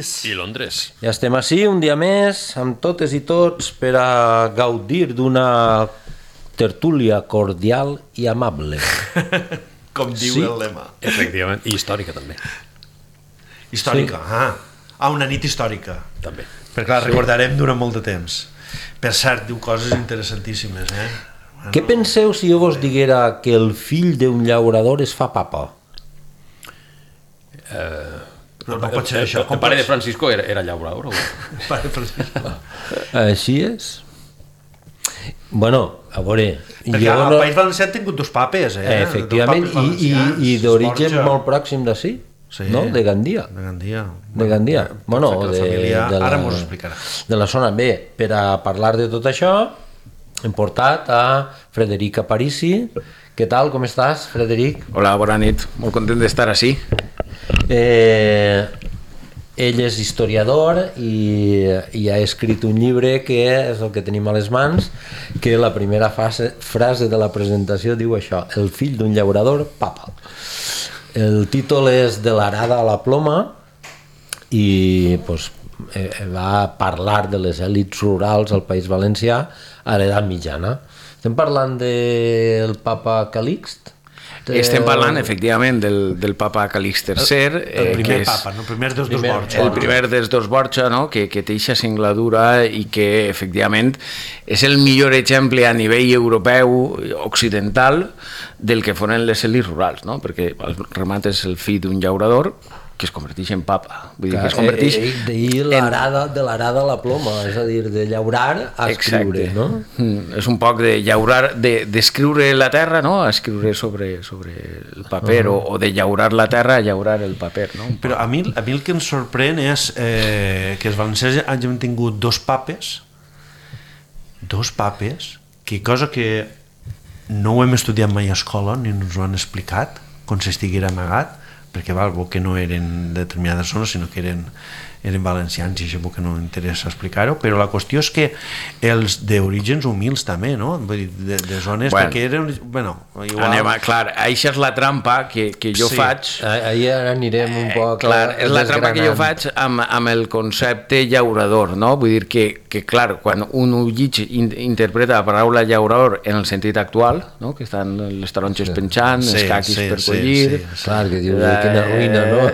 París. I Londres. Ja estem ací un dia més, amb totes i tots, per a gaudir d'una tertúlia cordial i amable. Com diu el lema. Efectivament, i històrica també. Històrica, una nit històrica. També. Perquè la recordarem durant molt de temps. Per cert, diu coses interessantíssimes, Què penseu si jo vos diguera que el fill d'un llaurador es fa papa? Però no pot ser això. El pare de Francisco era llaurador? Pare de Francisco. Així és? Bueno, a veure... Perquè al País Valencià han tingut dos papes, Efectivament, i d'origen molt pròxim d'ací, no? De Gandia. De Gandia. Bueno, ara m'ho explicarà. De la zona. Bé, per a parlar de tot això, hem portat a Frederic Aparici. Què tal, com estàs, Frederic? Hola, bona nit, molt content d'estar així. Ell és historiador i ha escrit un llibre que és el que tenim a les mans, que la primera frase de la presentació diu això: el fill d'un llaurador, papa. El títol és De l'arada a la ploma i va parlar de les èlits rurals al País Valencià a l'edat mitjana. Estem parlant del papa Calixt? Estem parlant, efectivament, del papa Calix III. El primer papa, el primer dels dos Borja. El primer dels dos Borja, que té aquesta singladura i que, efectivament, és el millor exemple a nivell europeu occidental del que foren les èlits rurals, perquè el remat és el fill d'un llaurador que es converteix en papa. Vull dir que es converteix... de l'arada a la ploma, és a dir, de llaurar a escriure, no? És un poc de llaurar, d'escriure la terra, a escriure sobre el paper, o de llaurar la terra a llaurar el paper, no? Però a mi el que em sorprèn és que els valencians hagin tingut dos papes, que cosa que no ho hem estudiat mai a escola, ni ens ho han explicat, com si estiguera amagat, perquè que no eren de determinades zones, sinó que eren valencians, i això que no m'interessa explicar-ho, però la qüestió és que els d'orígens humils també, no? Vull dir, de zones que eren... Igual... Clar, això és la trampa que jo faig... Ahir anirem un poc... Clar, és la trampa que jo faig amb el concepte llaurador, no? Vull dir que clar, quan un ullig interpreta la paraula llaurador en el sentit actual, que estan les taronges penjant, els caquis per collir... Clar, que dius, quina ruïna, no?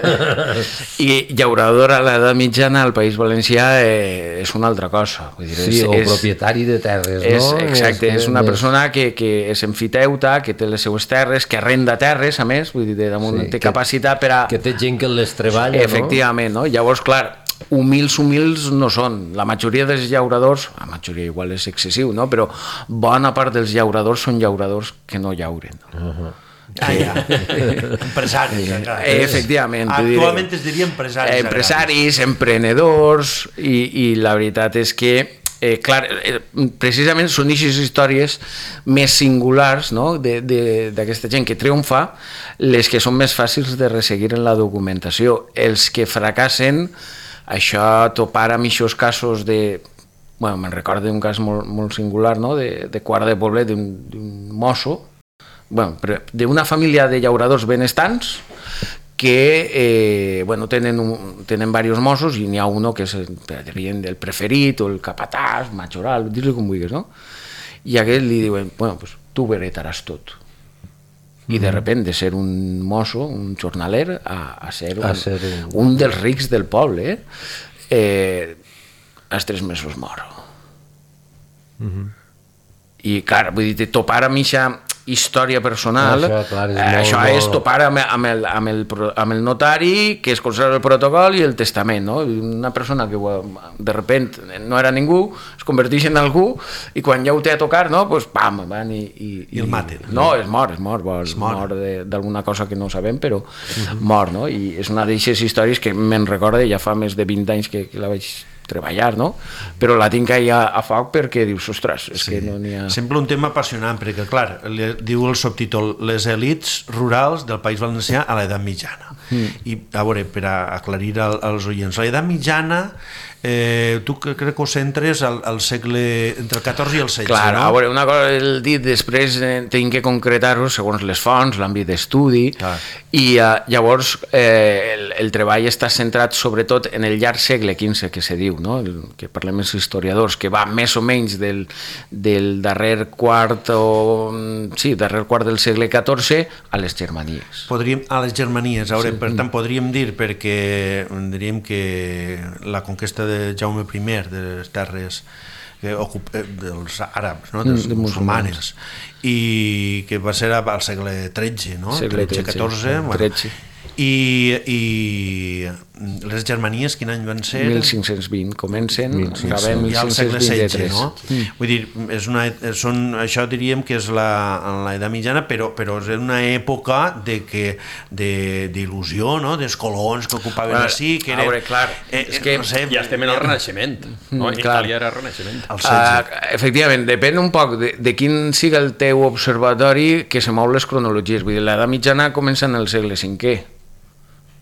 I llaurador a l'edat mitjana al País Valencià és una altra cosa. Vull dir, o propietari de terres, no? Exacte, és una persona que és enfiteuta, que té les seues terres, que arrenda terres, a més, vull dir, damunt té capacitat per a... Que té gent que les treballa, no? Efectivament, no? Llavors, clar, humils no són. La majoria dels llauradors, la majoria igual és excessiu, no? Però bona part dels llauradors són llauradors que no llauren. Empresaris, efectivament, actualment es diria empresaris, emprenedors, i la veritat és que clar, precisament són aquestes històries més singulars d'aquesta gent que triomfa, les que són més fàcils de resseguir en la documentació. Els que fracassen, això topar amb aquests casos de... me'n recordo d'un cas molt singular, de Quart de Poblet, d'un mosso, d'una família de llauradors benestants que tenen diversos mossos, i n'hi ha un que és el preferit o el capatàs, majoral, dir-li com vulguis, no? I a aquest li diuen, tu ho heretaràs tot. I de sobte, de ser un mosso, un jornaler, a ser un dels rics del poble, als 3 mesos mor. I clar, vull dir, topar amb aquesta història personal, això és topar amb el notari, que es conserva el protocol i el testament, no? Una persona que de sobte no era ningú, es converteix en algú, i quan ja ho té a tocar, doncs pam, van i el maten. No, es mor d'alguna cosa que no sabem, però mor, no? I és una d'aquestes històries que me'n recorda, ja fa més de 20 anys que la vaig treballar, no? Però la tinc allà a foc perquè dius, ostres, és que no n'hi ha... Sembla un tema apassionant, perquè, clar, diu el subtítol, les elits rurals del País Valencià a l'edat mitjana. I, a veure, per aclarir als oients, l'edat mitjana tu crec que ho centres al segle entre el XIV i el XVI, Clar, no? a veure, una cosa el dit, després tinc que concretar-ho segons les fonts, l'àmbit d'estudi, i llavors el treball està centrat sobretot en el llarg segle XV, que se diu, no? Que parlem els historiadors, que va més o menys del darrer quart del segle XIV a les Germanies. A les Germanies, a veure, per tant podríem dir, perquè diríem que la conquesta de Jaume I de les terres dels àrabs, no? dels musulmanes, i que va ser al segle XIII, no? Segle XIV, XIII. I les Germanies quin any van ser? 1520 comencen, acabem ja al segle XVI, 1523. no? Vull dir, això diríem que és l'edat mitjana, però és una època d'il·lusió, no? Dels colons que ocupaven així, que eren... A veure, clar, és que... No sé, ja estem en el Renaixement, no? Itàlia era el Renaixement. Efectivament, depèn un poc de quin siga el teu observatori que se mou les cronologies. Vull dir, l'edat mitjana comença en el segle V.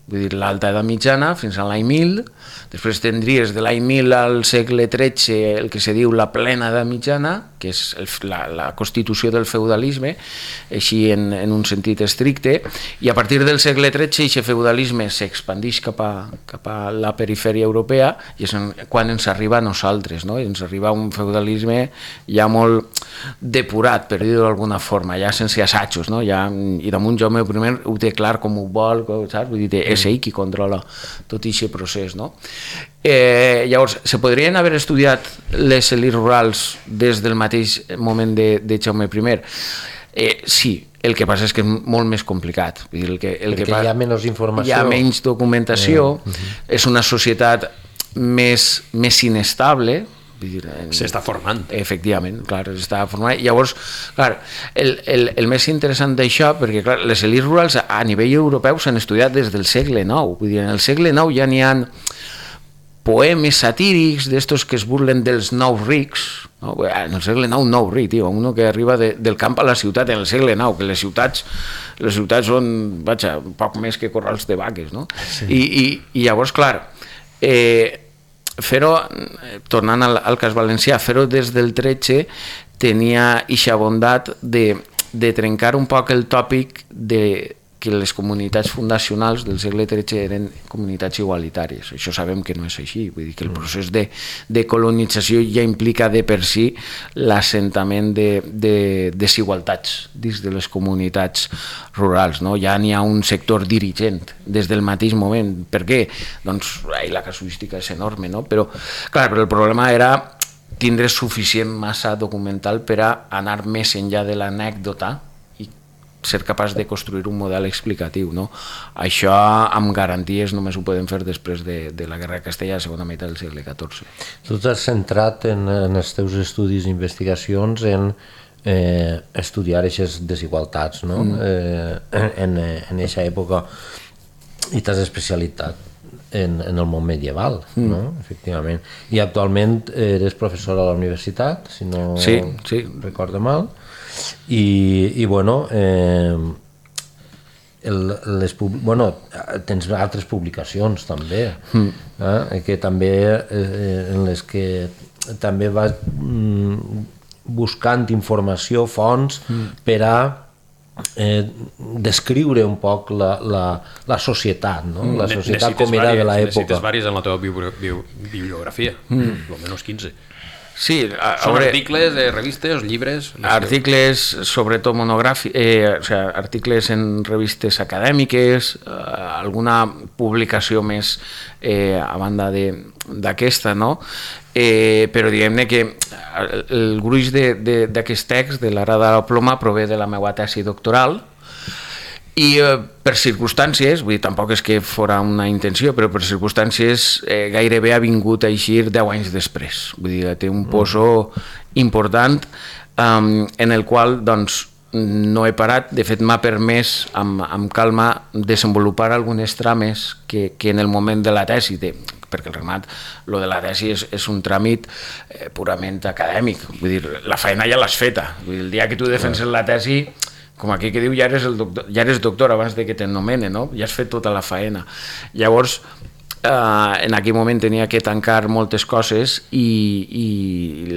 Vull dir, l'alta edat mitjana fins a l'any 1000, després tindries de l'any 1000 al segle XIII el que se diu la plena edat mitjana, que és la constitució del feudalisme, així en un sentit estricte, i a partir del segle XIII aquest feudalisme s'expandeix cap a la perifèria europea, i és quan ens arriba a nosaltres, no? Ens arriba un feudalisme ja molt depurat, per dir-ho d'alguna forma, ja sense assajos, no? I damunt Jaume I ho té clar com ho vol, saps? Vull dir, és ell qui controla tot aquest procés, no? Llavors, se podrien haver estudiat les elites rurals des del mateix moment de Jaume I? Sí, el que passa és que és molt més complicat. Vull dir, perquè hi ha menys informació. Hi ha menys documentació, és una societat més inestable, s'està formant. Efectivament, clar, s'està formant. Llavors, clar, el més interessant d'això, perquè clar, les elites rurals a nivell europeu s'han estudiat des del segle IX. Vull dir, en el segle IX ja n'hi ha poemes satírics d'estos que es burlen dels nous rics, no? En el segle IX, nou ric, tio, uno que arriba del camp a la ciutat en el segle IX, que les ciutats són, vaja, poc més que corrals de vaques, no? Sí. I llavors, clar, fer-ho, tornant al cas valencià, fer-ho des del 13 tenia eixa bondat de trencar un poc el tòpic de que les comunitats fundacionals del segle XIII eren comunitats igualitàries. Això sabem que no és així. Vull dir que el procés de colonització ja implica de per si l'assentament de desigualtats dins de les comunitats rurals, no? Ja n'hi ha un sector dirigent des del mateix moment. Per què? Doncs la casuística és enorme, no? Però el problema era tindre suficient massa documental per a anar més enllà de l'anècdota i ser capaç de construir un model explicatiu, no? Això amb garanties només ho podem fer després de la Guerra de Castella a la segona meitat del segle XIV. Tu t'has centrat en els teus estudis i investigacions en estudiar aquestes desigualtats, no? En aquesta època, i t'has especialitzat en el món medieval, no? Efectivament. I actualment eres professor a la universitat, si no recordo mal, i bueno, tens altres publicacions també, que també en les que també vas buscant informació, fonts, per a descriure un poc la societat, no? La societat com era de l'època. Necessites vàries en la teva bibliografia, almenys 15. Sí, són articles, revistes, llibres... Articles, sobretot monogràfics, articles en revistes acadèmiques, alguna publicació més a banda d'aquesta, no? Però diguem-ne que el gruix d'aquest text, de l'Ara de la ploma, prové de la meva tesi doctoral, i per circumstàncies, vull dir, tampoc és que fora una intenció, però per circumstàncies gairebé ha vingut a eixir 10 anys després. Vull dir, té un poso important en el qual, doncs, no he parat. De fet, m'ha permès amb calma desenvolupar algunes trames que en el moment de la tesi, perquè el remat, lo de la tesi és un tràmit purament acadèmic. Vull dir, la feina ja l'has feta. Vull dir, el dia que tu defenses la tesi, com aquí que diu, ja eres doctor abans de que t'anomenen, no? Ja has fet tota la faena. Llavors, en aquell moment tenia que tancar moltes coses i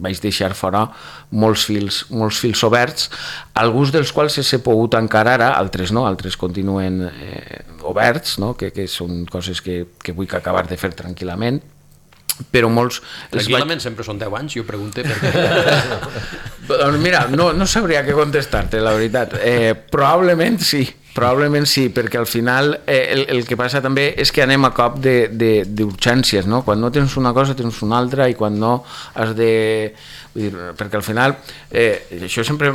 vaig deixar fora molts fils oberts, alguns dels quals s'ha pogut tancar ara, altres no, altres continuen oberts, no? que són coses que vull acabar de fer tranquil·lament, però molts... Tranquil·lament sempre són 10 anys, jo pregunto perquè... Mira, no sabria què contestar-te, la veritat. Probablement sí, perquè al final el que passa també és que anem a cop d'urgències, no? Quan no tens una cosa tens una altra i quan no has de... Vull dir, perquè al final, això sempre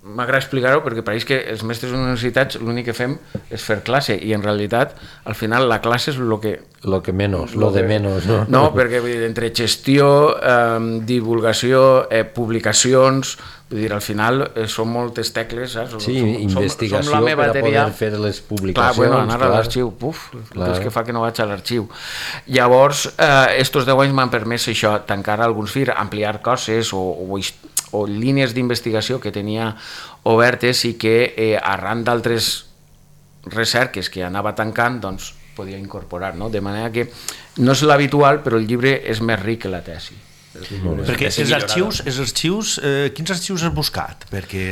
m'agrada explicar-ho perquè pareix que els mestres universitats l'únic que fem és fer classe i en realitat al final la classe és lo de menos, no? No, perquè vull dir, entre gestió, divulgació, publicacions, vull dir, al final són moltes tecles, saps? Sí, investigació per a poder fer les publicacions. Clar, bueno, anar a l'arxiu, és que fa que no vaig a l'arxiu. Llavors, estos 10 anys m'han permès això, tancar alguns firs, ampliar coses o línies d'investigació que tenia obertes i que arran d'altres recerques que anava tancant, doncs podia incorporar, no? De manera que no és l'habitual, però el llibre és més ric que la tesi. Perquè els arxius, quins arxius has buscat? Perquè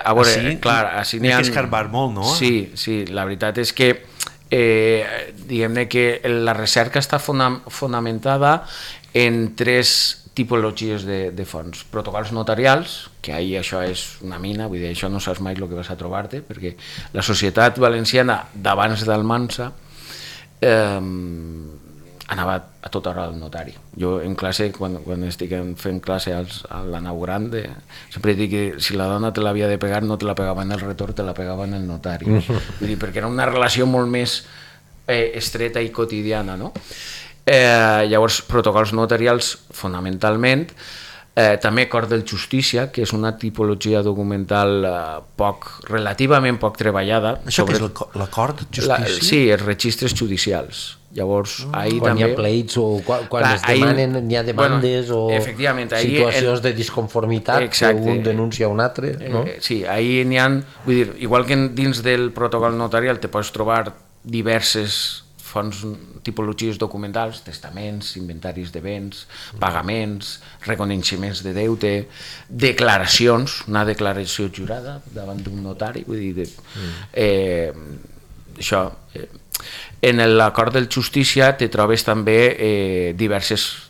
a veure, clar, així n'hi ha... que escarbar molt, no? Sí, la veritat és que diguem-ne que la recerca està fonamentada en 3 tipologies de fonts. Protocols notarials, que ahir això és una mina, vull dir, això no saps mai el que vas a trobar-te, perquè la societat valenciana d'abans d'Almansa anava a tota hora al notari. Jo en classe, quan estic fent classe a la nau gran, sempre dic que si la dona te l'havia de pegar no te la pegava en el retorn, te la pegava en el notari. Vull dir, perquè era una relació molt més estreta i quotidiana, no? Llavors, protocols notarials fonamentalment, també Cort de Justícia, que és una tipologia documental relativament poc treballada. Això que és l'acord de justícia? Sí, els registres judicials. Llavors, ahir quan també... hi ha pleits o quan es demanen, hi ha demandes o situacions de disconformitat que un denuncia a un altre, no? Sí, ahir n'hi ha... Vull dir, igual que dins del protocol notarial te pots trobar diverses fonts, tipologies documentals, testaments, inventaris de béns, pagaments, reconeixements de deute, declaracions, una declaració jurada davant d'un notari, vull dir, això... En l'acord de justícia te trobes també diverses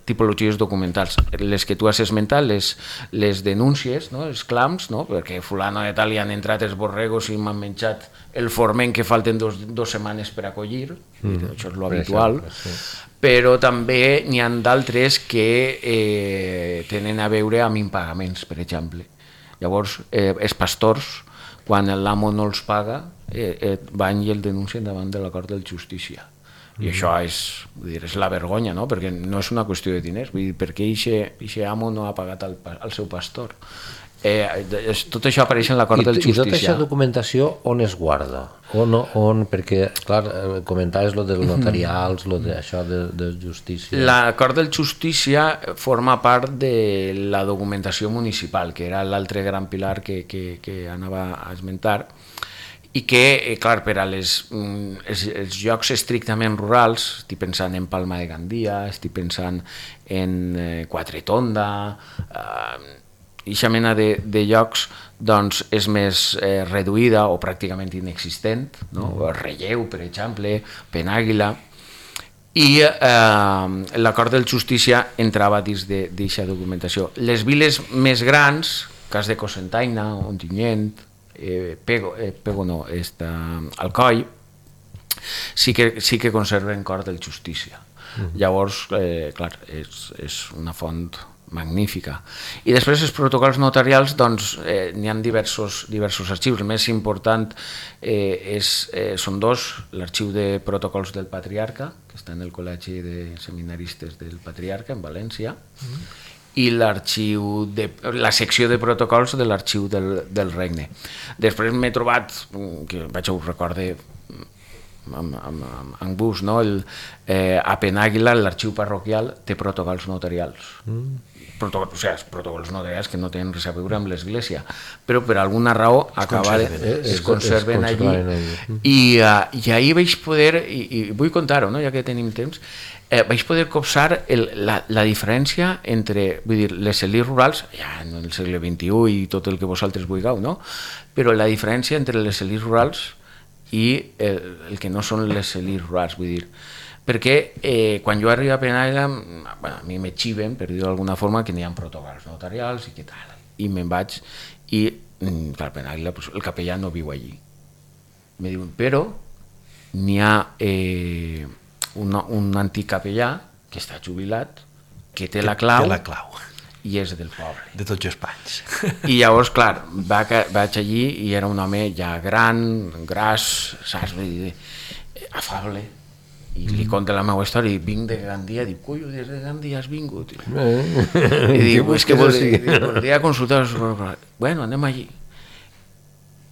tipologies documentals. Les que tu has esmentat, les denúncies, no? Els clams, no? Perquè fulano de tal hi han entrat els borregos i m'han menjat el forment que falten dos setmanes per acollir, això és l'habitual, però també n'hi ha d'altres que tenen a veure amb impagaments, per exemple. Llavors, els pastors, quan l'amo no els paga, van i el denuncien davant de l'acord de justícia. I això és la vergonya, no? Perquè no és una qüestió de diners, vull dir, per què aquest amo no ha pagat al seu pastor? Tot això apareix en l'acord de justícia. I tota aquesta documentació on es guarda? Perquè, clar, comentaves lo dels notarials, lo d'això de justícia. L'acord de justícia forma part de la documentació municipal, que era l'altre gran pilar que anava a esmentar, i que, clar, per als llocs estrictament rurals, estic pensant en Palma de Gandia, estic pensant en Quatretonda, aquesta mena de llocs doncs, és més reduïda o pràcticament inexistent, no? Relleu, per exemple, Penàguila, i l'acord de justícia entrava dins d'aquesta documentació. Les viles més grans, cas de Cocentaina, Ontinyent, Alcoi, sí que conserven cort de justícia. Llavors, clar, és una font magnífica. I després els protocols notarials, doncs, n'hi ha diversos arxius. El més important són dos: l'arxiu de protocols del Patriarca, que està en el Col·legi de Seminaristes del Patriarca, en València, i la secció de protocols de l'arxiu del Regne. Després m'he trobat, que vaig a ho recordar en bus, no? A Penàguila l'arxiu parroquial té protocols notarials. Protocols notarials que no tenen res a veure amb l'església, però per alguna raó es conserven allí. I ahir vaig poder, i vull contar-ho, no? Ja que tenim temps, vaig poder copsar la diferència entre, vull dir, les elites rurals, ja en el segle XXI i tot el que vosaltres vulgueu, no? Però la diferència entre les elites rurals i el que no són les elites rurals, vull dir, perquè quan jo arribo a Penàguila, a mi me xiven, per dir-ho d'alguna forma, que n'hi ha protocols notarials i què tal, i me'n vaig, i clar, Penàguila, el capellà no viu allí. Me diuen, però n'hi ha un antic capellà que està jubilat, que té la clau i és del poble. De tots els panys. I llavors, clar, vaig allí i era un home ja gran, gras, saps? Afable. I li conta la meva història, i vinc de Gandia, dic, collo, des de Gandia has vingut? I dic, és que voldria consultar... Bueno, anem allí.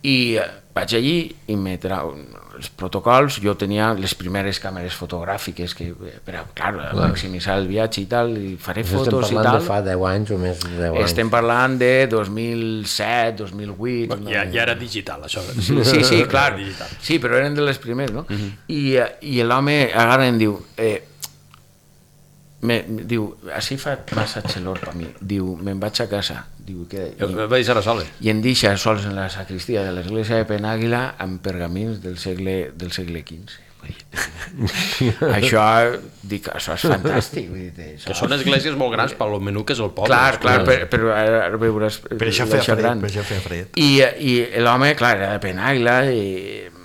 I vaig allí i me trau els protocols. Jo tenia les primeres càmeres fotogràfiques que, clar, maximitzar el viatge i tal, i faré fotos i tal. Estem parlant de fa 10 anys o més de 10 anys. Estem parlant de 2007, 2008... Ja era digital, això. Sí, clar. Sí, però eren de les primeres, no? I l'home agarra i em diu... diu, així fa massa xelor per mi, diu, me'n vaig a casa, diu, el va deixar a soles i em deixa sols en la sacristia de l'església de Penàguila amb pergamins del segle XV. Això és fantàstic, que són esglésies molt grans per lo menú que és el poble. Clar, però ara veuràs, per això feia fred. I l'home, clar, era de Penàguila i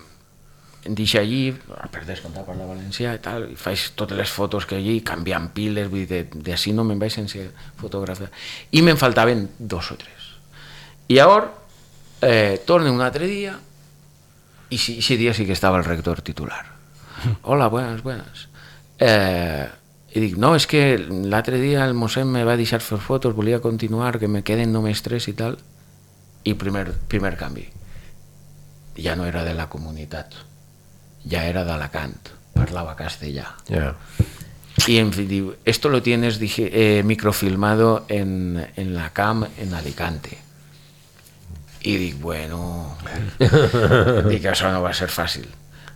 em deixa allí, per descomptar parlar valencià i tal, i faig totes les fotos que allí, canviant piles, vull dir, d'ací no me'n vaig sense fotografiar. I me'n faltaven 2 o 3. I llavors torne un altre dia, i ese dia sí que estava el rector titular. Hola, buenas. I dic, no, és que l'altre dia el mossèn me va deixar fer fotos, volia continuar, que me queden només 3 i tal, i primer canvi. Ja no era de la comunitat, ya era de Alacant, parlava castellà. Y en fin, diu, esto lo tienes microfilmado en la CAM en Alicante. Y digo, bueno, digo, eso no va a ser fácil.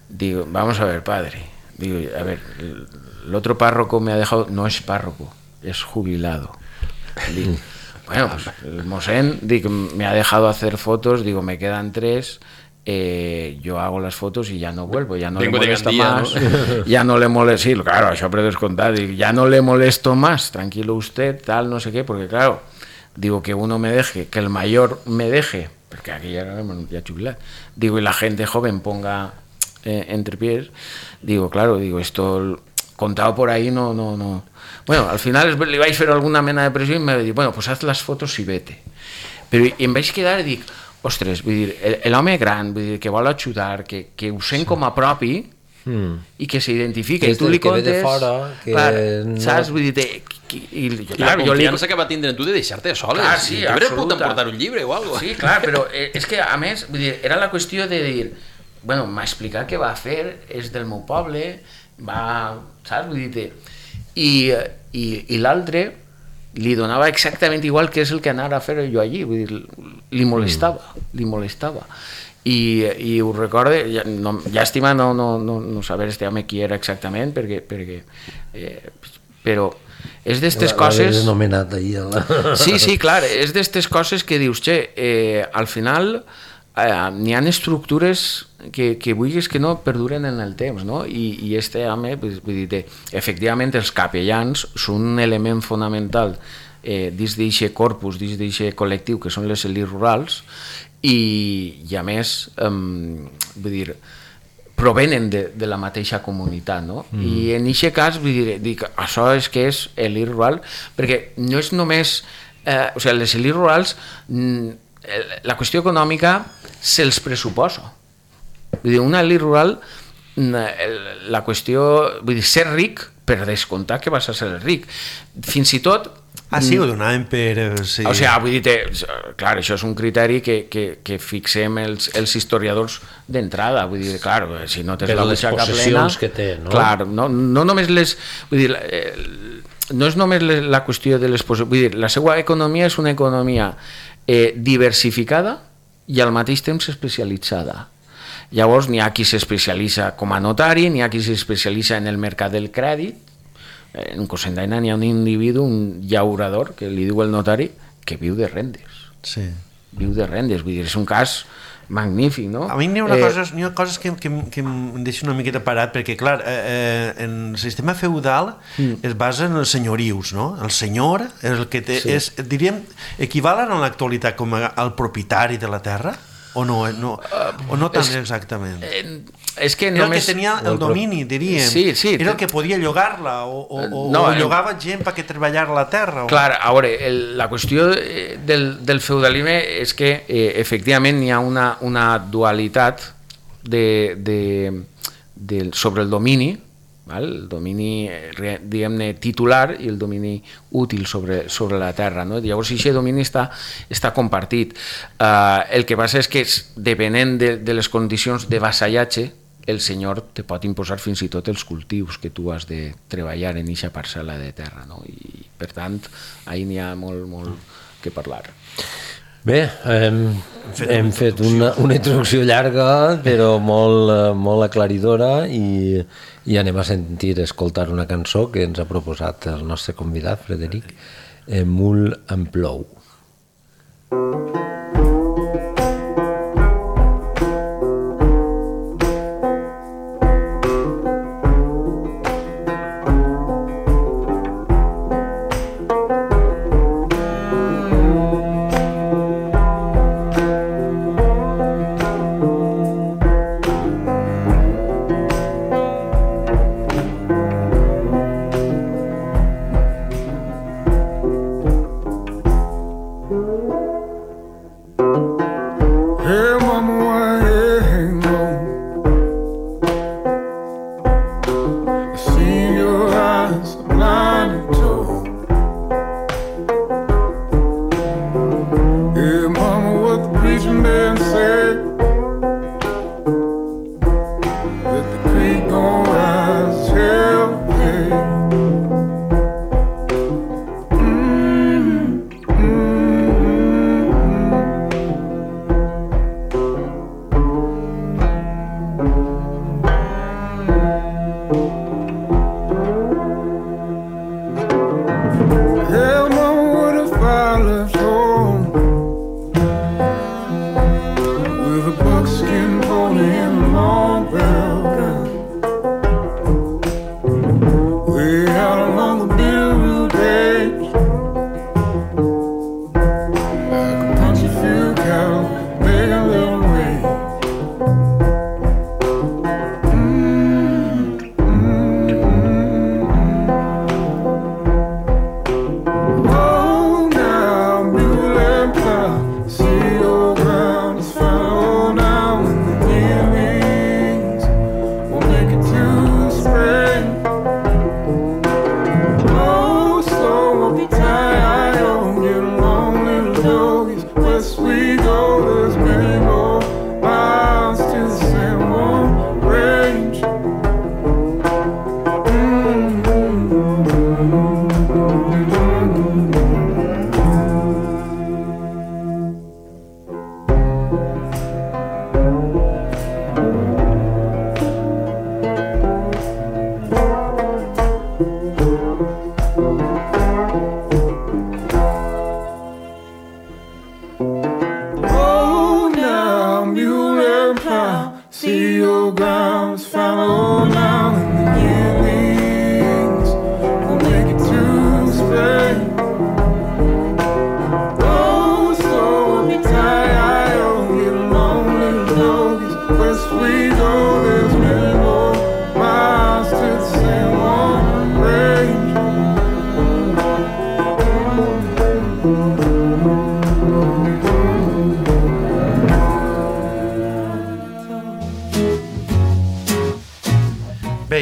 Digo, vamos a ver, padre. Digo, a ver, el otro párroco me ha dejado, no es párroco, es jubilado. Digo, bueno, pues el mosén, digo, me ha dejado hacer fotos, digo, me quedan 3. Yo hago las fotos y ya no vuelvo, ya no le molesta más, ¿no? Ya no le molesta, sí, claro, això per descomptat, ya no le molesto más, tranquilo usted, tal, no sé qué, porque claro, digo que uno me deje, que el mayor me deje, porque aquí ya jubilar, digo, y la gente joven ponga entre pies, digo, claro, digo, esto contado por ahí no. Bueno, al final li vaig fer alguna mena de pressió i me va dir, bueno, pues haz las fotos y vete. Però em vaig quedar i dic, ostres, vull dir, l'home gran, vull dir, que vol ajudar, que ho sent com a propi i que s'identifica, i tu li contes... Que ve de fora, que... Clar, saps? Vull dir, i la confiança que va tindre en tu de deixar-te soles. Clar, sí, absoluta. Portar un llibre o alguna cosa. Sí, clar, però és que, a més, vull dir, era la qüestió de dir, bueno, m'ha explicat què va fer, és del meu poble, saps? Vull dir, i l'altre li donava exactament igual que és el que anava a fer jo allí, vull dir, li molestava. I ho recorde, llàstima no saber este home qui era exactament, perquè però és d'estes coses... L'haver anomenat ahir. Sí, clar, és d'estes coses que dius, al final n'hi ha estructures que vulguis que no perduren en el temps, no? I este home, vull dir, efectivament els capellans són un element fonamental dins d'aquest corpus, dins d'aquest col·lectiu que són les elites rurals i a més, vull dir, provenen de la mateixa comunitat, no? I en aquest cas, vull dir, dic, això és que és elit rural, perquè no és només... O sigui, les elites rurals, la qüestió econòmica se'ls pressuposa. Vull dir, una elit rural, la qüestió... Vull dir, ser ric, per descomptar que vas a ser ric. Fins i tot, Sí, ho donaven per... Sí. O sigui, vull dir, clar, això és un criteri que fixem els historiadors d'entrada, vull dir, clar, si no tens per la les butxaca plena... possessions que té, no? Clar, no només les... Vull dir, no és només la qüestió de les possessions, vull dir, la seva economia és una economia diversificada i al mateix temps especialitzada. Llavors, n'hi ha qui s'especialitza com a notari, n'hi ha qui s'especialitza en el mercat del crèdit. En Cocentaina n'hi ha un individu, un llaurador, que li diu el notari, que viu de rendes. Sí. Viu de rendes, vull dir, és un cas magnífic, no? A mi n'hi ha coses que em deixen una miqueta parat, perquè, clar, en el sistema feudal es basa en els senyorius, no? El senyor és el que té... Sí. Diríem, equivalen en l'actualitat com al propietari de la terra? O no tant exactament? És que era només... el que tenia el domini, diríem. Sí. Era el que podia llogar-la o llogava gent perquè treballara la terra. Clar, a veure, la qüestió del feudalisme és que efectivament hi ha una dualitat sobre el domini, el domini, diguem-ne, titular i el domini útil sobre la terra, no? Llavors aquest domini està compartit. El que passa és que depenent de les condicions de vassallatge, el senyor te pot imposar fins i tot els cultius que tu has de treballar en aquesta parcel·la de terra, no? I per tant ahí n'hi ha molt que parlar. Bé, hem fet una introducció llarga però molt aclaridora i anem a escoltar una cançó que ens ha proposat el nostre convidat, Frederic, Mul en plou.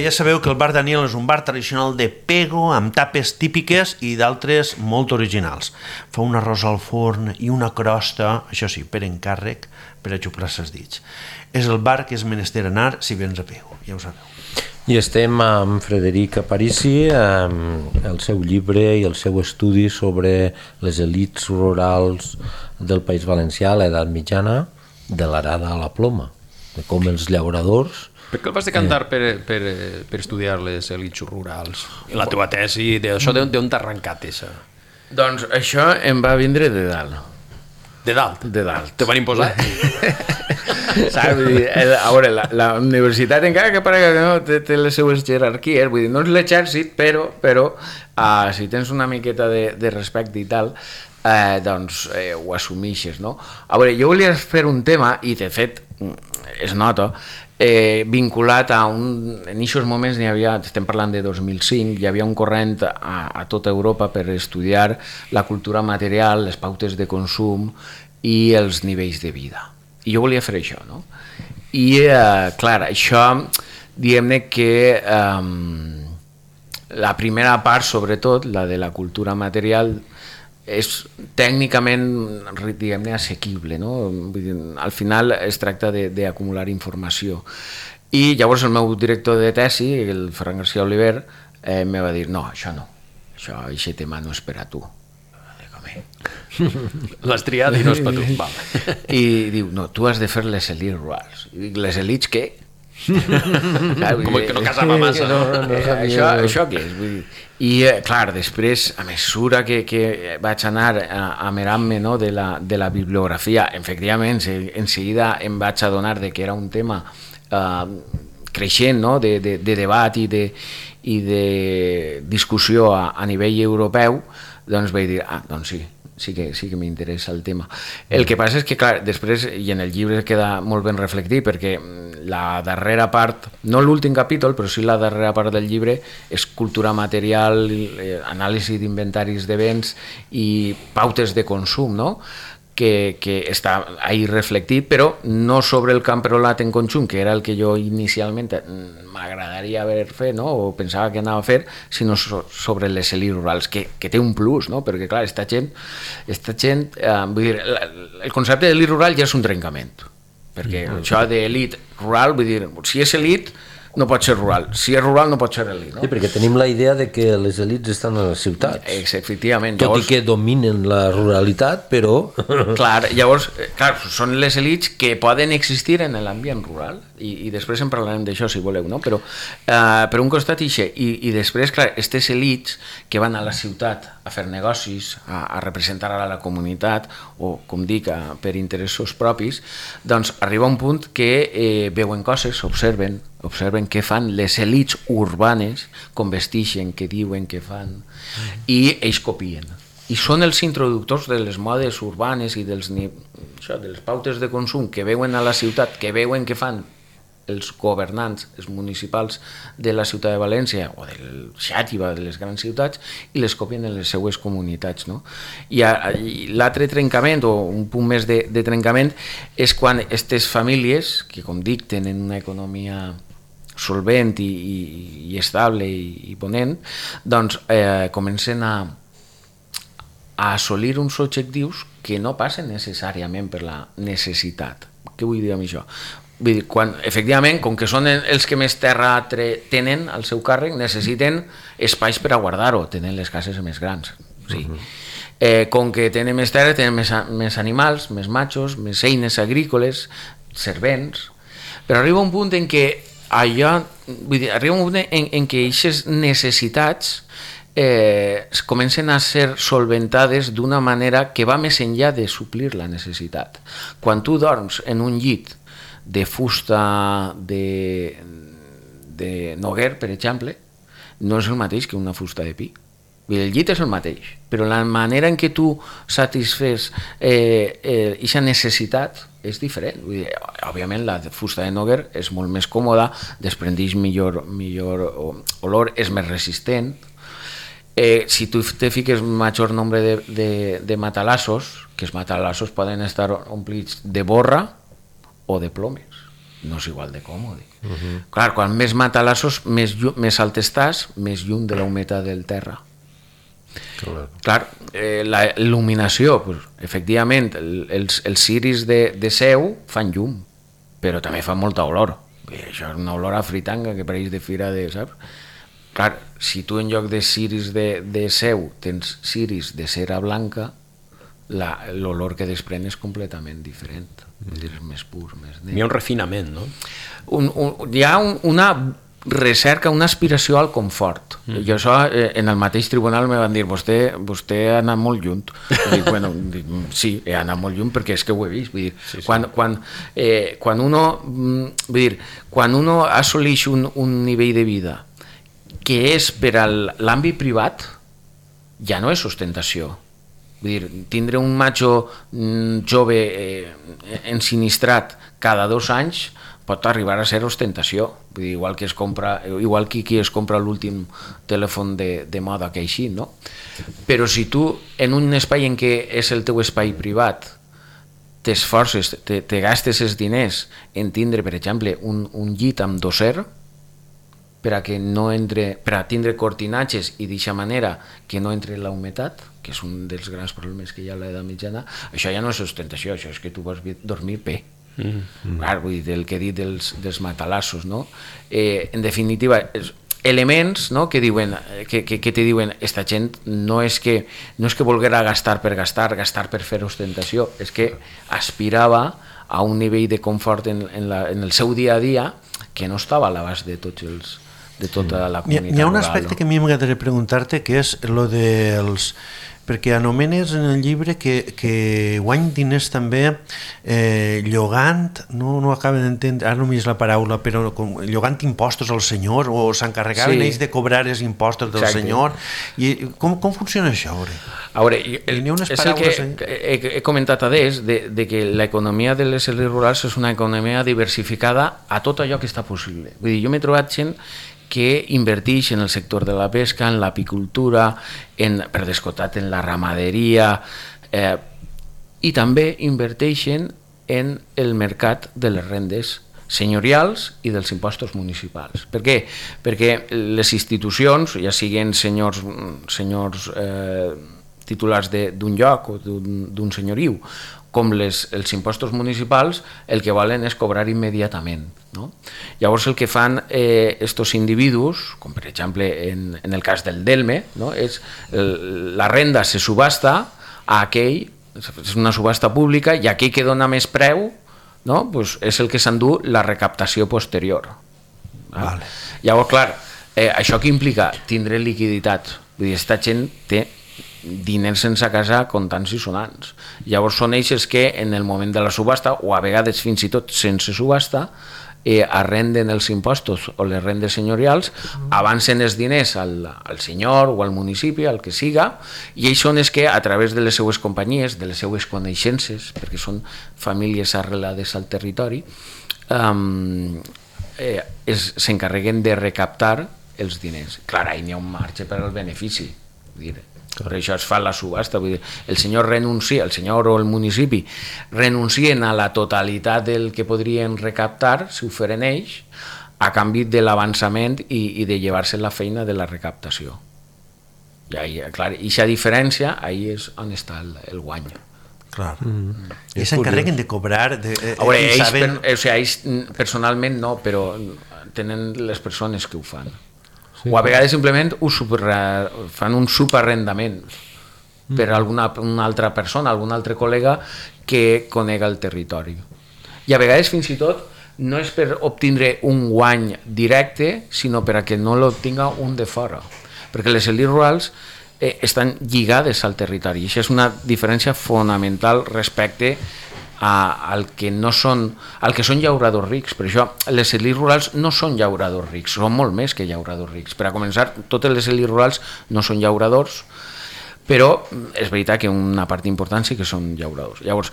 ja sabeu que el bar Daniel és un bar tradicional de pego amb tapes típiques i d'altres molt originals. Fa un arròs al forn i una crosta, això sí, per encàrrec, per a xuplar ses dits. És el bar que és menester anar si vens a pego, ja ho sabeu. I estem amb Frederic Aparici, amb el seu llibre i el seu estudi sobre les elites rurals del País Valencià a l'edat mitjana, de l'arada a la ploma, de com els llauradors... Per què el vas decantar per estudiar les elites rurals? La teva tesi, d'això d'on t'ha arrencat això? Doncs això em va vindre de dalt. De dalt? De dalt. Te van imposar? Saps? Vull dir, a veure, la universitat, encara que parega que no, té les seues jerarquies, vull dir, no és l'exèrcit, però si tens una miqueta de respecte i tal, doncs ho assumixes, no? A veure, jo volia fer un tema, i de fet es nota, vinculat a un... En aquests moments n'hi havia, estem parlant de 2005, hi havia un corrent a tota Europa per estudiar la cultura material, les pautes de consum i els nivells de vida. I jo volia fer això, no? I, clar, això, diguem-ne que la primera part, sobretot, la de la cultura material, és tècnicament, diguem-ne, assequible, no? Vull dir, al final es tracta d'acumular informació. I llavors el meu director de tesi, el Ferran García Oliver, me va dir, no, això no, aquest tema no és per a tu. L'has triat i no és per tu. Val. I diu, no, tu has de fer les elites rurals. I dic, les elites què? Com que no casava massa. Això què és? Vull dir, i clar, després, a mesura que vaig anar amerant-me, no, de la bibliografia, efectivament, en seguida em vaig adonar que era un tema creixent, no, de debat i de discussió a nivell europeu, doncs vaig dir, doncs sí que m'interessa el tema. El que passa és que, clar, després, i en el llibre queda molt ben reflectit, perquè la darrera part, no l'últim capítol, però sí la darrera part del llibre, és cultura material, anàlisi d'inventaris de béns i pautes de consum, no?, que està ahí reflectit, però no sobre el camp rolat en conjunt, que era el que jo inicialment m'agradaria haver fet, no? O pensava que anava a fer, sinó sobre les elites rurals, que té un plus, no? Perquè clar, esta gent vull dir, el concepte d'elit rural ja és un trencament, perquè això d'elit rural, vull dir, si és elit no pot ser rural, si és rural no pot ser elit, no? Sí, perquè tenim la idea de que les elites estan a les ciutats. Efectivament. Tot i que dominen la ruralitat, però... Clar, llavors, són les elites que poden existir en l'ambient rural, i després en parlarem d'això si voleu, no? Però per un costat i després, clar, aquestes elites que van a la ciutat a fer negocis, a representar a la comunitat, o, com dic, per interessos propis, doncs arriba un punt que veuen coses, observen què fan les elites urbanes, com vestixen, què diuen, què fan, i ells copien. I són els introductors de les modes urbanes i de les pautes de consum que veuen a la ciutat, que veuen què fan els governants, els municipals de la ciutat de València o del Xàtiva, de les grans ciutats, i les copien en les seues comunitats, no? I l'altre trencament, o un punt més de trencament, és quan aquestes famílies, que com dic tenen una economia solvent i estable i ponent, doncs comencen a assolir uns objectius que no passen necessàriament per la necessitat. Què vull dir amb això? Vull dir, efectivament, com que són els que més terra tenen al seu càrrec, necessiten espais per a guardar-ho, tenen les cases més grans. Sí. Com que tenen més terra, tenen més animals, més machos, més eines agrícoles, servents, però arriba un punt en què arriba un punt en què aquestes necessitats comencen a ser solventades d'una manera que va més enllà de suplir la necessitat. Quan tu dorms en un llit de fusta de noguer, per exemple, no és el mateix que una fusta de pi. El llit és el mateix, però la manera en què tu satisfés aquesta necessitat és diferent. Vull dir, òbviament la fusta de noguer és molt més còmoda, desprendix millor olor, és més resistent. Si tu te fiques major nombre de matalassos, que els matalassos poden estar omplits de borra o de plomes. no és igual de còmode. Clar, quan més matalassos, més alt estàs, més lluny de la humitat del terra. Clar, la il·luminació, pues, efectivament, els ciris de seu fan llum, però també fan molta olor. Això és una olor a fritanga que pareix de fira de... Saps? Clar, si tu en lloc de ciris de seu tens ciris de cera blanca, l'olor que desprèn és completament diferent. És més pur, més net. Hi ha un refinament, no? Hi ha una recerca, una aspiració al confort. Jo això, en el mateix tribunal me van dir vostè ha anat molt lluny. Dic, bueno, sí, he anat molt lluny perquè és que ho he vist. Vull dir, sí. Quan uno assoleix un nivell de vida que és per a l'àmbit privat, ja no és ostentació. Vull dir, tindre un macho jove ensinistrat cada 2 anys pot arribar a ser ostentació. Vull dir, igual que qui es compra l'últim telèfon de moda que així, no? Però si tu, en un espai en què és el teu espai privat, t'esforces, te gastes els diners en tindre, per exemple, un llit amb dosser, per a tindre cortinatges i d'aquesta manera que no entre la humitat, que és un dels grans problemes que hi ha a l'edat mitjana, això ja no és ostentació, això és que tu vols dormir bé. Clar, vull dir, el que he dit dels matalassos, no? En definitiva, elements, no? que te diuen esta gent no és que volguera gastar per fer ostentació, és que aspirava a un nivell de confort en el seu dia a dia que no estava a l'abast de tota la comunitat rural. Hi ha un aspecte que a mi m'agradaria preguntar-te, que és lo dels... perquè anomenes en el llibre que guany diners també llogant, no acabo d'entendre, ara no m'hi és la paraula, però llogant impostos al senyor, o s'encarregaven ells de cobrar els impostos del senyor. I com funciona això? A veure, és el que he comentat a de que l'economia de les elits rurals és una economia diversificada a tot allò que està possible. Vull dir, jo m'he trobat gent que inverteix en el sector de la pesca, en l'apicultura, per descomptat en la ramaderia, i també inverteixen en el mercat de les rendes senyorials i dels impostos municipals. Per què? Perquè les institucions, ja siguin senyors titulars d'un lloc o d'un senyoriu, com els impostos municipals, el que volen és cobrar immediatament. No? Llavors el que fan estos individus, com per exemple en el cas del Delme, no? És la renda se subhasta a aquell, és una subhasta pública, i aquell que dona més preu, no? Pues és el que s'endú la recaptació posterior. Vale. Llavors, clar, això què implica? Tindre liquiditat. Vull dir, aquesta gent té diners sense casa comptants i sonants. Llavors són ells que en el moment de la subhasta, o a vegades fins i tot sense subhasta, arrenden els impostos o les rendes senyorials, avancen els diners al senyor o al municipi, al que siga, i ells són els que a través de les seues companyies, de les seues coneixences, perquè són famílies arrelades al territori, s'encarreguen de recaptar els diners. Clar, ahí n'hi ha un marge per al benefici, vull dir, per això es fa la subhasta. Vull dir, el senyor o el municipi renuncien a la totalitat del que podrien recaptar si ho feren ells, a canvi de l'avançament i de llevar-se la feina de la recaptació. I aquesta diferència, ahí és on està el guany. Clar. I s'encarreguen de cobrar... Ells personalment no, però tenen les persones que ho fan. O a vegades simplement fan un subarrendament per a una altra persona, algun altre col·lega que conega el territori. I a vegades fins i tot no és per obtindre un guany directe, sinó per a que no l'obtinga un de fora. Perquè les elits rurals estan lligades al territori. I això és una diferència fonamental respecte al que són llauradors rics. Per això les elits rurals no són llauradors rics, són molt més que llauradors rics. Per a començar, totes les elits rurals no són llauradors, però és veritat que una part important sí que són llauradors. Llavors,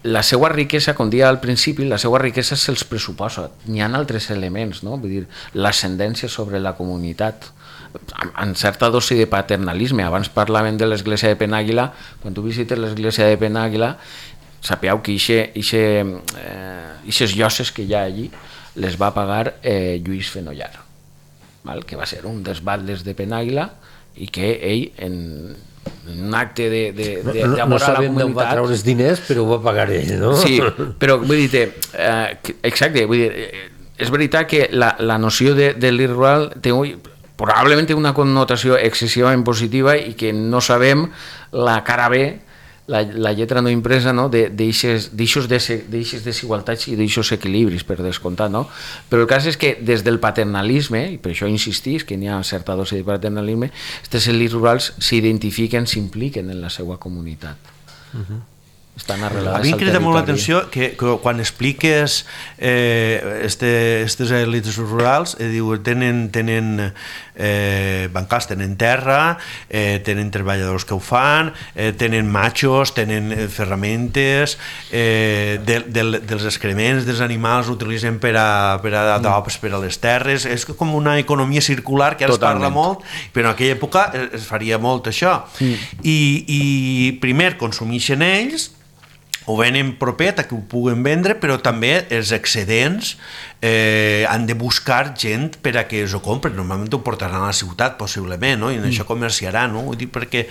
la seva riquesa, com deia al principi, la seva riquesa se'ls pressuposa. N'hi ha altres elements, no? Vull dir, l'ascendència sobre la comunitat, amb certa dosi de paternalisme. Abans parlaven de l'església de Penàguila. Quan tu visites l'església de Penàguila, sapeu que ixes lloses que hi ha allí les va pagar Lluís Fenollar, val? Que va ser un dels batlles de Penàguila i que ell en un acte d'amor no a la sabem d'on va comunitat... treure els diners, però ho va pagar ell, no? Sí, però vull dir, exacte, vull dir, és veritat que la noció de l'Ir rural té probablement té una connotació excessivament positiva i que no sabem la cara B, la lletra no impresa, no? d'eixes desigualtats i d'eixos equilibris, per descomptat, no? Però el cas és que des del paternalisme, i per això insistís que n'hi ha certa dosi de paternalisme, aquestes elits rurals s'identifiquen, s'impliquen en la seva comunitat. Estan arrelades a mi al crida molt territori. l'atenció que quan expliques aquestes elites rurals, tenen bancals, tenen terra, tenen treballadors que ho fan, tenen machos, tenen ferramentes, dels excrements dels animals utilitzen per a adobs per a les terres. És com una economia circular que ara es parla molt, però en aquella època es faria molt això. I primer consumeixen ells, ho venen propet a que ho puguen vendre, però també els excedents han de buscar gent per a que ho compren. Normalment ho portaran a la ciutat, possiblement, no? I en això comerciaran, no? Ho dic perquè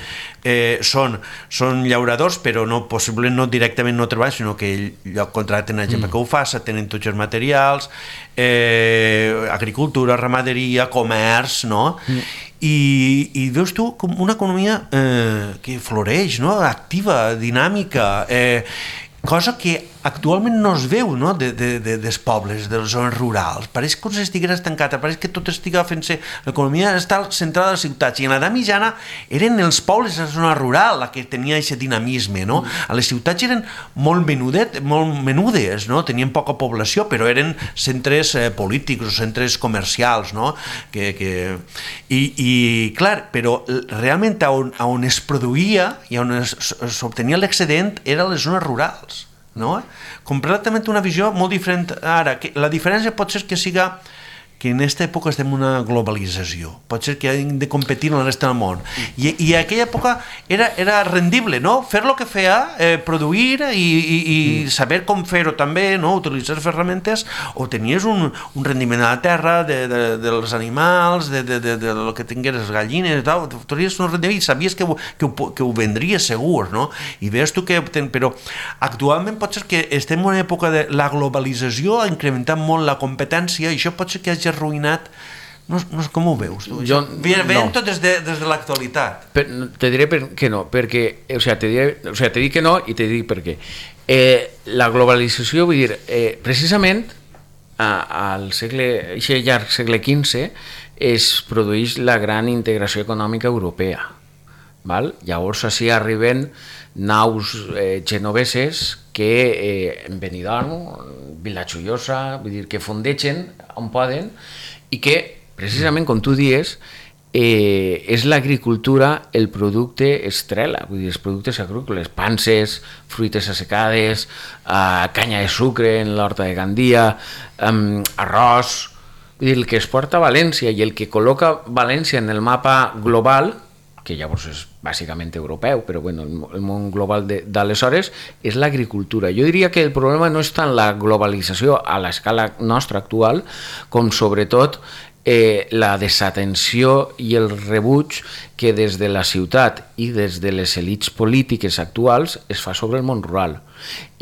són llauradors, però possiblement no directament no treballen, sinó que contracten a gent que ho faça, tenen tots els materials, agricultura, ramaderia, comerç, no? I veus tu com una economia que floreix, no? Activa, dinàmica, cosa que actualment no es veu, no? dels pobles, de les zones rurals. Pareix com si estigués estancada, pareix que tot estiga fent-se... L'economia està centrada a les ciutats, i en l'edat mitjana eren els pobles de la zona rural la que tenia aquest dinamisme, no? A les ciutats eren molt menudes, no? Tenien poca població, però eren centres polítics o centres comercials, no? I clar, però realment on es produïa i on s'obtenia l'excedent era a les zones rurals, no? Completament una visió molt diferent ara. La diferència pot ser que siga que en aquesta època estem en una globalització, pot ser que hem de competir amb la resta del món, i en aquella època era rendible, no? Fer el que feia, produir i saber com fer-ho també, no? Utilitzar ferramentes, o tenies un rendiment a la terra dels animals, de lo que tingués les gallines, tenies un rendiment i sabies que ho vendries segur, no? I veus tu que... Però actualment pot ser que estem en una època de la globalització, ha incrementat molt la competència, i això pot ser que hagi arruïnat. No sé com ho veus tu? Veiem tot des de l'actualitat. Te diré que no, perquè te dic que no i te dic per què. La globalització, vull dir, precisament al llarg segle XV es produeix la gran integració econòmica europea, val? Llavors així arriben naus genoveses que en Benidorm, Vilajoiosa, vull dir, que fondegen on poden, i que precisament, com tu dius, és l'agricultura el producte estrella, vull dir, els productes agrícoles, panses, fruites assecades, canya de sucre en l'horta de Gandia, arròs, vull dir, el que es porta a València i el que col·loca València en el mapa global, que llavors és bàsicament europeu, però bueno, el món global d'aleshores és l'agricultura. Jo diria que el problema no és tant la globalització a l'escala nostra actual, com sobretot la desatenció i el rebuig que des de la ciutat i des de les elits polítiques actuals es fa sobre el món rural.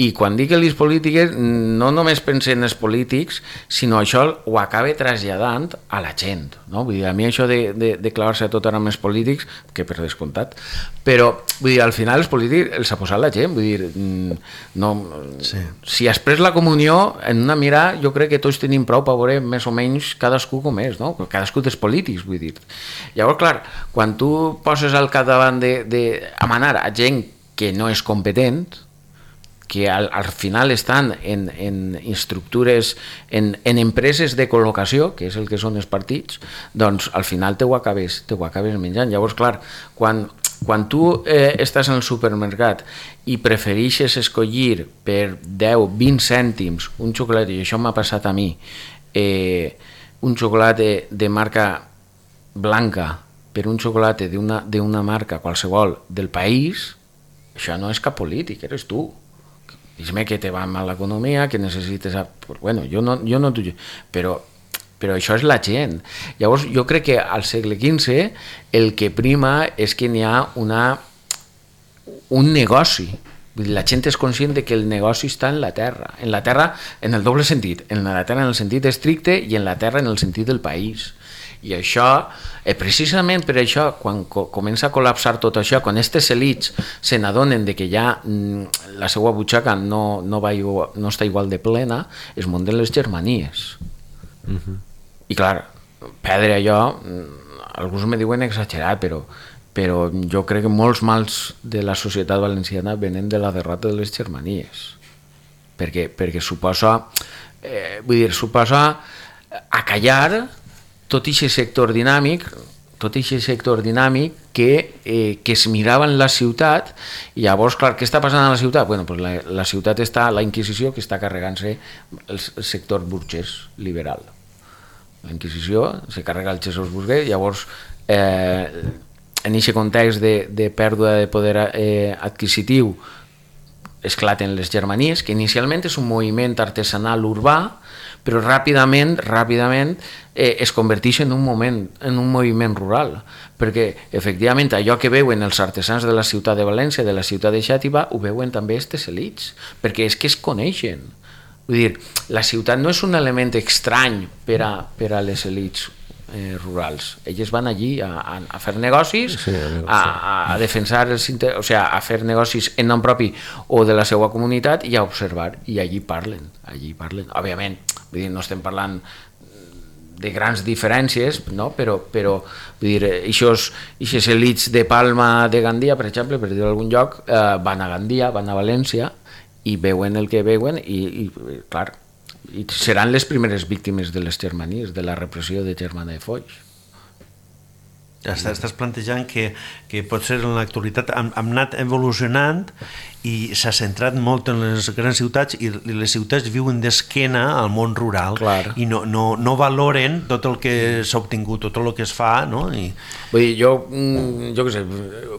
I quan dic elits polítiques no només penso en els polítics, sinó això ho acaba traslladant a la gent, no? Vull dir, a mi això de clavar-se tot ara amb els polítics, que per descomptat, però vull dir, al final els polítics els ha posat la gent, vull dir, no, sí. Si has pres la comunió en una mirada, jo crec que tots tenim prou per veure més o menys cadascú com és, no? Cadascú dels polítics, vull dir. Llavors, clar, quan tu poses al capdavant d'amanar a gent que no és competent, que al final estan en estructures, en empreses de col·locació, que és el que són els partits, doncs al final te ho acabes menjant. Llavors, clar, quan tu estàs en el supermercat i prefereixes escollir per 10-20 cèntims un xocolata, i això m'ha passat a mi, un xocolata de marca blanca per un xocolata d'una marca qualsevol del país, això no és cap polític, eres tu. Digues-me que te va mal l'economia, que necessites... Bueno, jo no t'ho... Però això és la gent. Llavors, jo crec que al segle XV el que prima és que n'hi ha un negoci. Vull dir, la gent és conscient de que el negoci està en la terra en el doble sentit, en la terra en el sentit estricte i en la terra en el sentit del país. I això, precisament per això, quan comença a col·lapsar tot això, quan aquestes elits se n'adonen de que ja la seva butxaca no està igual de plena, es munten les germanies. I clar, perdre allò, alguns me diuen exagerat, però jo crec que molts mals de la societat valenciana venen de la derrota de les germanies, perquè suposa acallar tot aquest sector dinàmic que es mirava en la ciutat. I llavors, clar, què està passant a la ciutat? Bueno, pues la ciutat està, la Inquisició, que està carregant-se el sector burgès liberal. La Inquisició se carrega el Jesús burguès, llavors en aquest context de pèrdua de poder adquisitiu esclaten les germanies, que inicialment és un moviment artesanal urbà, però ràpidament es converteix en un moviment rural, perquè efectivament allò que veuen els artesans de la ciutat de València, de la ciutat de Xàtiva, ho veuen també aquestes elits, perquè és que es coneixen. Vull dir, la ciutat no és un element estrany per a les elits rurals. Elles van allí a fer negocis, a defensar a fer negocis en nom propi o de la seva comunitat i a observar, i allí parlen. Òbviament, vull dir, no estem parlant de grans diferències, no? Però vull dir, aquestes elits de Palma, de Gandia, per exemple, per dir algun lloc, van a Gandia, van a València i veuen el que veuen i clar, i seran les primeres víctimes de les germanies, de la repressió de Germana de Foix. Estàs plantejant que potser en l'actualitat hem anat evolucionant i s'ha centrat molt en les grans ciutats i les ciutats viuen d'esquena al món rural. Clar. I no valoren tot el que s'ha obtingut, tot el que es fa, no? Vull dir, jo què sé,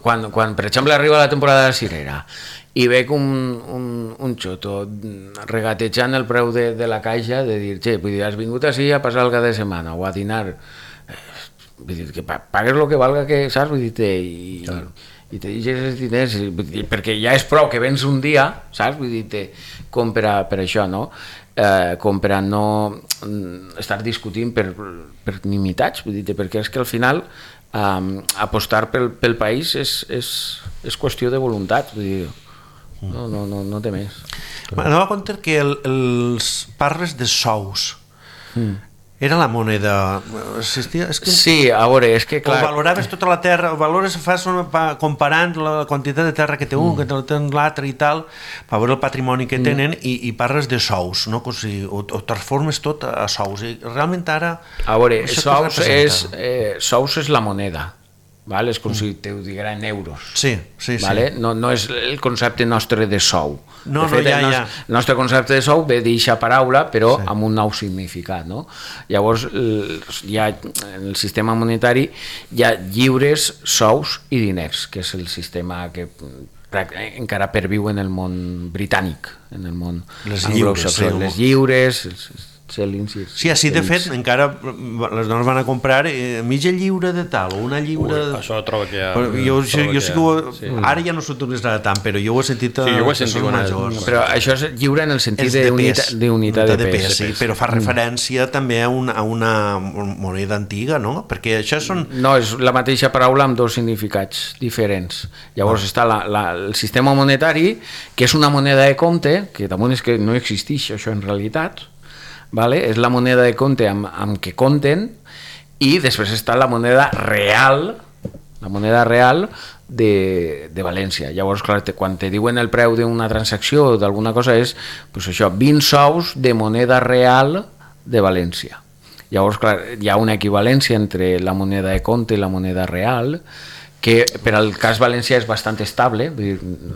quan per exemple arriba la temporada de la cirera i veig un xoto regatejant el preu de la caixa, de dir, vull dir, has vingut així a passar el cap de setmana o a dinar, vull dir, que pagues el que valga, que saps? Vull dir, i te deixes els diners, perquè ja és prou que vens un dia, saps? Vull dir, com per això, no? Com per a no estar discutint per nimitats, vull dir, perquè és que al final apostar pel país és qüestió de voluntat, vull dir, no té més. Anava a compte que parles de sous. Era la moneda... Sí, a veure, és que clar... O valoraves tota la terra, fas comparant la quantitat de terra que té un, que té l'altre i tal, per veure el patrimoni que tenen, i parles de sous, no? O transformes tot a sous. I realment ara... A veure, sous és la moneda. És com si te ho diguera en euros. Sí. No és el concepte nostre de sou. De fet, el nostre concepte de sou ve d'eixa paraula, però amb un nou significat. Llavors, en el sistema monetari hi ha lliures, sous i diners, que és el sistema que encara perviu en el món britànic, en el món anglosaxó. Les lliures, sí, així de fet encara les dones van a comprar mitja lliure de tal o una lliure... Això trobo que jo sí que ara ja no s'utilitzarà tant, però jo ho he sentit a persones majors. Però això és lliure en el sentit d'unitat de pes. Però fa referència també a una moneda antiga, no? Perquè això són... No, és la mateixa paraula amb dos significats diferents. Llavors està el sistema monetari, que és una moneda de compte, que damunt és que no existeix això en realitat, és la moneda de compte amb què compten, i després està la moneda real de València. Llavors, clar, quan te diuen el preu d'una transacció o d'alguna cosa és això, 20 sous de moneda real de València. Llavors, clar, hi ha una equivalència entre la moneda de compte i la moneda real, que per al cas valencià és bastant estable.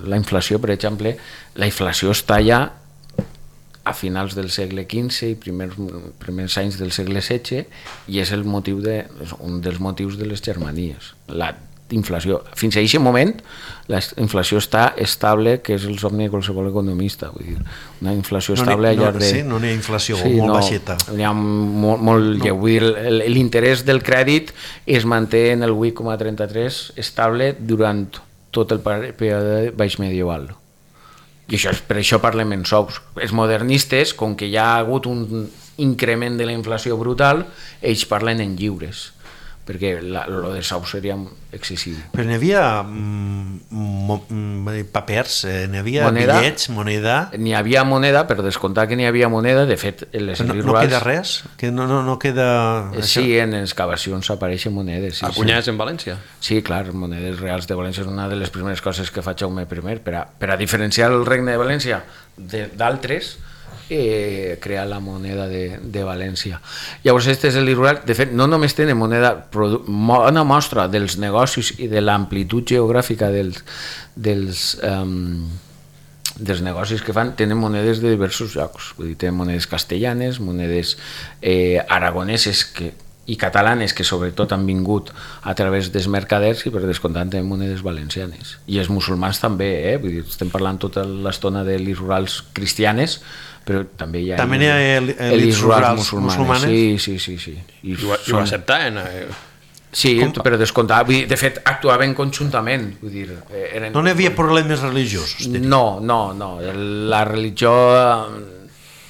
La inflació, per exemple, la inflació està ja a finals del segle XV i primers anys del segle XVI, i és un dels motius de les germanies. inflació. Fins a aquest moment la inflació està estable, que és el somni de qualsevol economista. Vull dir, una inflació estable al llarg de... Sí, no n'hi ha inflació, molt baixeta. N'hi ha molt lleu. Vull dir, l'interès del crèdit es manté en el 8,33 estable durant tot el període baix medieval. I per això parlem en sous. Els modernistes, com que hi ha hagut un increment de la inflació brutal, ells parlen en lliures, perquè lo de sous seria excessiu. Però n'hi havia papers, n'hi havia bitllets, moneda... N'hi havia moneda, per descomptar que n'hi havia moneda, de fet, en les no queda res? Que no queda... Sí, en excavacions apareixen monedes. Sí, Acunyades en València? Sí, clar, monedes reals de València és una de les primeres coses que fa Jaume I, per a diferenciar el regne de València d'altres, crear la moneda de València. Llavors, este és el rural. De fet, no només tenen moneda, una mostra dels negocis i de l'amplitud geogràfica dels negocis que fan, tenen monedes de diversos llocs. Vull dir, tenen monedes castellanes, monedes aragoneses i catalanes, que sobretot han vingut a través dels mercaders, i per descomptat tenen monedes valencianes. I els musulmans també, vull dir, estem parlant tota l'estona de les rurals cristianes, però també hi ha elites rurals musulmanes. Sí. I ho acceptaven? Sí, per descomptar. De fet, actuaven conjuntament. Vull dir, no n'hi havia problemes religiosos? No. La religió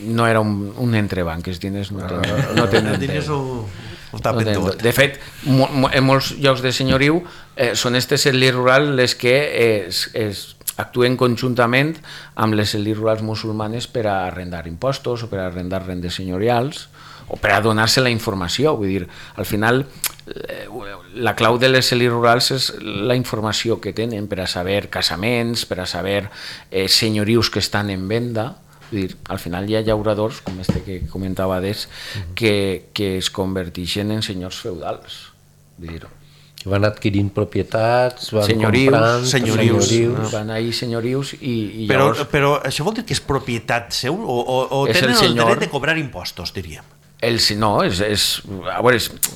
no era un entrebanc, els diners no tenen... diners ho tapen tot. De fet, en molts llocs de senyoriu són aquestes elites rurals les que actuen conjuntament amb les elites rurals musulmanes per a arrendar impostos o per a arrendar rendes senyorials o per a donar-se la informació. Vull dir, al final, la clau de les elites rurals és la informació que tenen per a saber casaments, per a saber senyorius que estan en venda. Vull dir, al final hi ha llauradors, com este que comentava d'ells, que es converteixen en senyors feudals. Vull dir, van adquirint propietats, van comprant senyorius. Van ahir senyorius i llavors... Però això vol dir que és propietat seu o tenen el dret de cobrar impostos, diríem? No,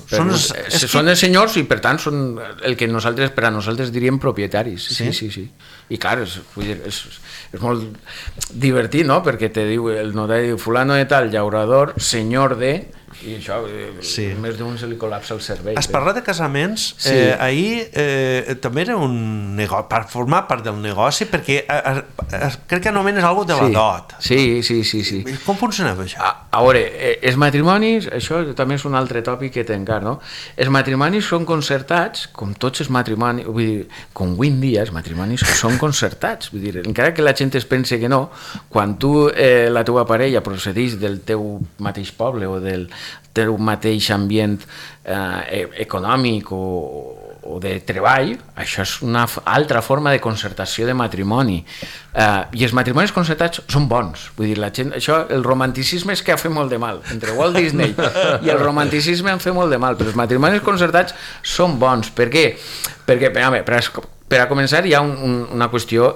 són els senyors i per tant són el que per a nosaltres diríem propietaris. Sí. I clar, és molt divertit, no? Perquè te diu el notari, fulano de tal, llaurador, senyor de... i això, més d'un se li col·lapsa el cervell. Has parlat de casaments, ahir també era un negoci, per formar part del negoci, perquè crec que anomenes alguna cosa de la dot. Sí. Com funcionava això? A veure, els matrimonis, això també és un altre tòpic que té encara, no? Els matrimonis són concertats, com tots els matrimonis, vull dir, com avui en dia els matrimonis són concertats, vull dir, encara que la gent es pense que no, quan tu, la teva parella procedeix del teu mateix poble o del teu mateix ambient econòmic o de treball, això és una altra forma de concertació de matrimoni. I els matrimonis concertats són bons. Vull dir, la gent, això, el romanticisme és que ha fet molt de mal. Entre Walt Disney i el romanticisme han fet molt de mal, però els matrimonis concertats són bons. Per què? Perquè, per a començar, hi ha una qüestió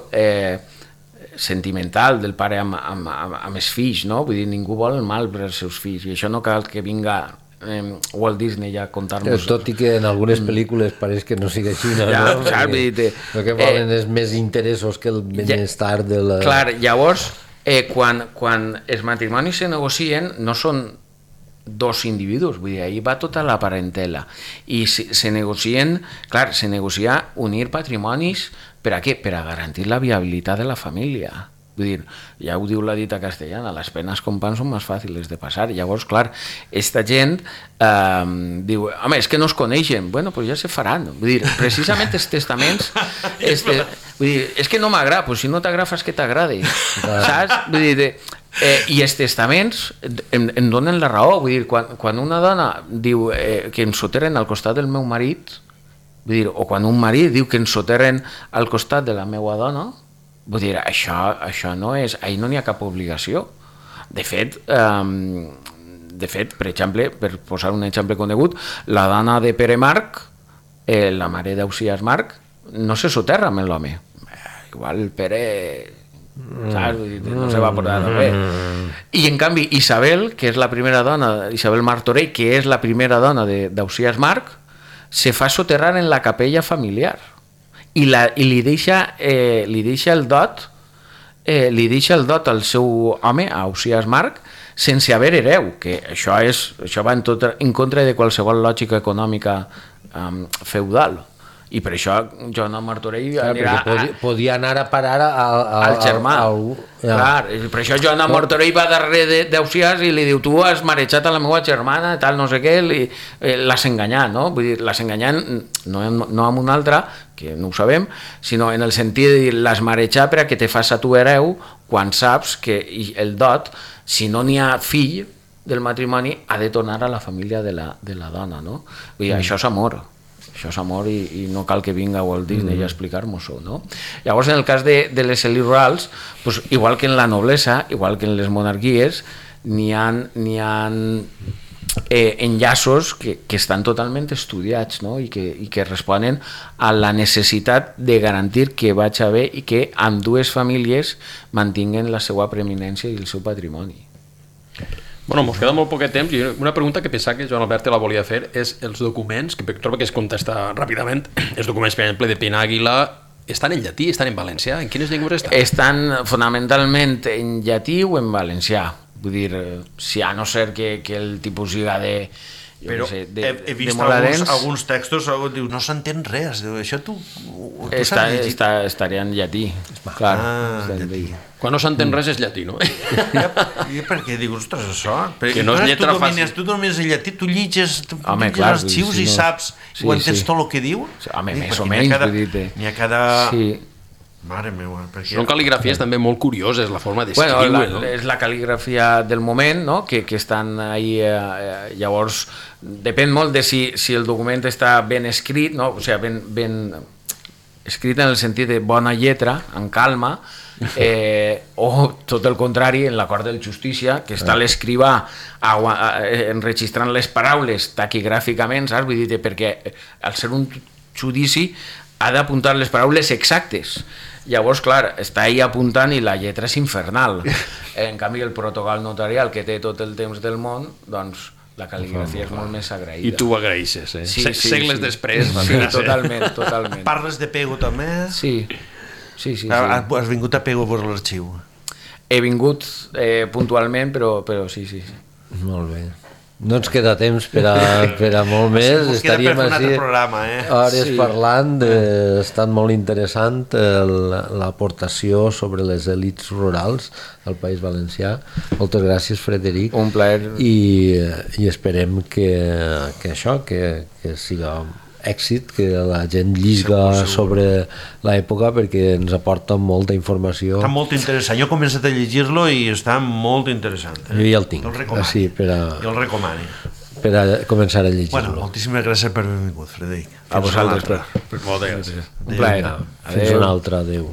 sentimental del pare amb els fills, no? Vull dir, ningú vol el mal per als seus fills, i això no cal que vinga Walt Disney ja a contar-nos... Tot i que en algunes pel·lícules pareix que no sigui així, no? El que volen és més interessos que el benestar de la... Clar, llavors, quan els matrimonis se negocien, no són dos individus, vull dir, ahir va tota la parentela, i se negocien, clar, se negocia unir patrimonis, per a què? Per a garantir la viabilitat de la família. Vull dir, ja ho diu la dita castellana, les penes com pan són més fàcils de passar. Llavors, clar, esta gent diu, home, és que no es coneixen. Bueno, doncs ja se faran. Vull dir, precisament els testaments... vull dir, és que no m'agrada, doncs si no t'agrada fas que t'agradi. Saps? Vull dir, i els testaments em donen la raó. Vull dir, quan una dona diu que em soterren al costat del meu marit, vull dir, o quan un marit diu que em soterren al costat de la meva dona, vull dir, això no és... Ahir no n'hi ha cap obligació. De fet, per exemple, per posar un exemple conegut, la dona de Pere Marc, la mare d'Ausiàs Marc, no se soterra amb l'home. Igual Pere... no se va portar bé. I en canvi Isabel, que és la primera dona, Isabel Martorell, que és la primera dona d'Ausiàs Marc, se fa soterrar en la capella familiar i li deixa el dot al seu home, a Ausiàs Marc, sense haver hereu, que això va en contra de qualsevol lògica econòmica feudal. I per això Joan de Martorell podia anar a parar al germà. Clar, per això Joan de Martorell va darrere d'Ausiàs i li diu: tu has marejat a la meva germana, tal, no sé què, l'has enganyat, no? Vull dir, l'has enganyat no amb una altra, que no ho sabem, sinó en el sentit de dir, l'has marejat per a que te fas a tu hereu, quan saps que el dot, si no n'hi ha fill del matrimoni, ha de tornar a la família de la dona, no? Vull dir, això és amor. Això és amor i no cal que vinga Walt Disney a explicar-nos-ho, no? Llavors, en el cas de les elits rurals, pues, igual que en la noblesa, igual que en les monarquies, n'hi ha enllaços que estan totalment estudiats, no? I que responen a la necessitat de garantir que vaig haver i que ambdues famílies mantinguen la seva preeminència i el seu patrimoni. Bueno, ens queda molt poquet temps i una pregunta que pensava que Joan Albert la volia fer és els documents, que trobo que es contesta ràpidament. Els documents, per exemple, de Penàguila estan en llatí, estan en valencià? En quines llengües estan? Estan fonamentalment en llatí o en valencià. Vull dir, si a no ser que el tipus siga de... Però he vist alguns textos, diu, no s'entén res, això tu saps llegir? Estaria en llatí, clar. Llatí. Quan no s'entén res és llatí, no? I per què dius, ostres, això? Que no és lletra fàcil. Tu domines el llatí, tu llitges els arxius i saps, ho entens tot el que diu? Home, més o menys, vull dir-te. N'hi ha cada... Mare meva, són cal·ligrafies també molt curioses, la forma d'escriure, no? És la cal·ligrafia del moment, no? Que estan ahí, llavors depèn molt de si el document està ben escrit, no? O sigui, ben escrit en el sentit de bona lletra, en calma, o tot el contrari, en l'acord del justícia, que està l'escrivà enregistrant les paraules taquigràficament, saps? Vull dir, perquè al ser un judici ha d'apuntar les paraules exactes. Llavors, clar, està ahí apuntant i la lletra és infernal. En canvi, el protocol notarial, que té tot el temps del món, doncs la cal·ligrafia és molt més agraïda. I tu ho agraeixes, eh? Segles després. Sí, totalment. Parles de Pego també? Sí. Has vingut a Pego per l'arxiu? He vingut puntualment, però sí. Molt bé. No ens queda temps per a molt més. Estaríem així hores parlant. Ha estat molt interessant l'aportació sobre les elits rurals del País Valencià. Moltes gràcies, Frederic. Un plaer. I esperem que això, que siga èxit, que la gent llisga sobre l'època, perquè ens aporta molta informació. Està molt interessant. Jo he començat a llegir-lo i està molt interessant. Jo ja el tinc. Jo el recomano. Per a començar a llegir-lo. Bueno, moltíssimes gràcies per haver vingut, Frederic. A vosaltres. Moltes gràcies. Un plaer. Fins una altra. Adéu.